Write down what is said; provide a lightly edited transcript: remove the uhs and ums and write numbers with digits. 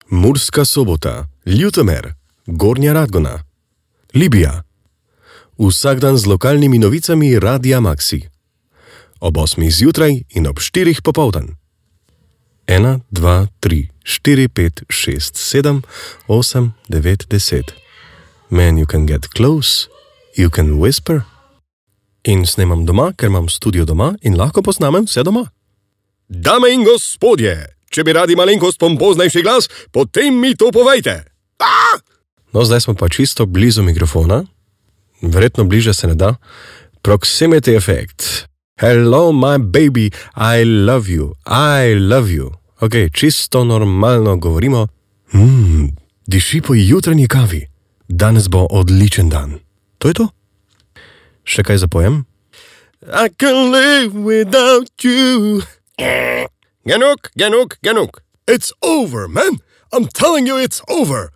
Murska Sobota, Ljutomer, Gornja Radgona, Libija. Vsak dan z lokalnimi novicami Radia Maxi. Ob 8 zjutraj in ob 4 popoldan. 1, 2, 3, 4, 5, 6, 7, 8, 9, 10. Man, you can get close, you can whisper. In snemam doma, ker imam studio doma in lahko posnamem vse doma. Dame in gospodje, če bi radi malenkost pompoznejši glas, potem mi to povejte. No, zdaj smo pa čisto blizu mikrofona. Verjetno bliže se ne da. Proximity effect. Hello, my baby, I love you, I love you. Ok, čisto normalno govorimo. Diši po jutranji kavi. Danes bo odličen dan. To je to. Še kaj zapojem? I can live without you. Genuk. It's over, man. I'm telling you it's over.